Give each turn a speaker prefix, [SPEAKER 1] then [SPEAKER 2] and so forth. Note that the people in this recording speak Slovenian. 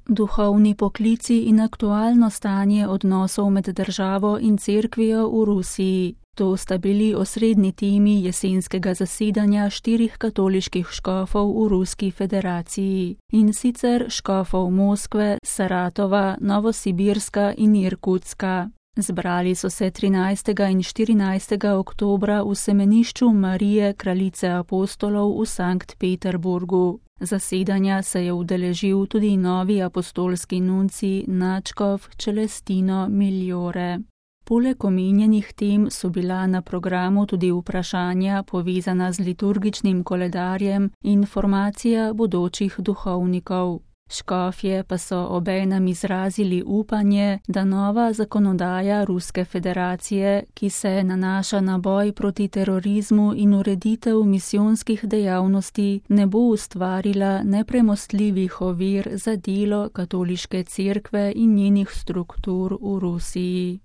[SPEAKER 1] Duhovni poklici in aktualno stanje odnosov med državo in cerkvijo v Rusiji. To sta bili osrednji temi jesenskega zasedanja 4 katoliških škofov v Ruski federaciji, in sicer škofov Moskve, Saratova, Novosibirska in Irkutska. Zbrali so se 13. in 14. oktobra v semenišču Marije Kraljice apostolov v Sankt Peterburgu. Zasedanja se je udeležil tudi novi apostolski nuncij nadškof Celestino Migliore. Poleg omenjenih tem so bila na programu tudi vprašanja povezana z liturgičnim koledarjem in formacija bodočih duhovnikov. Škofje pa so obenem izrazili upanje, da nova zakonodaja Ruske federacije, ki se nanaša na boj proti terorizmu in ureditev misijonskih dejavnosti, ne bo ustvarila nepremostljivih ovir za delo katoliške cerkve in njenih struktur v Rusiji.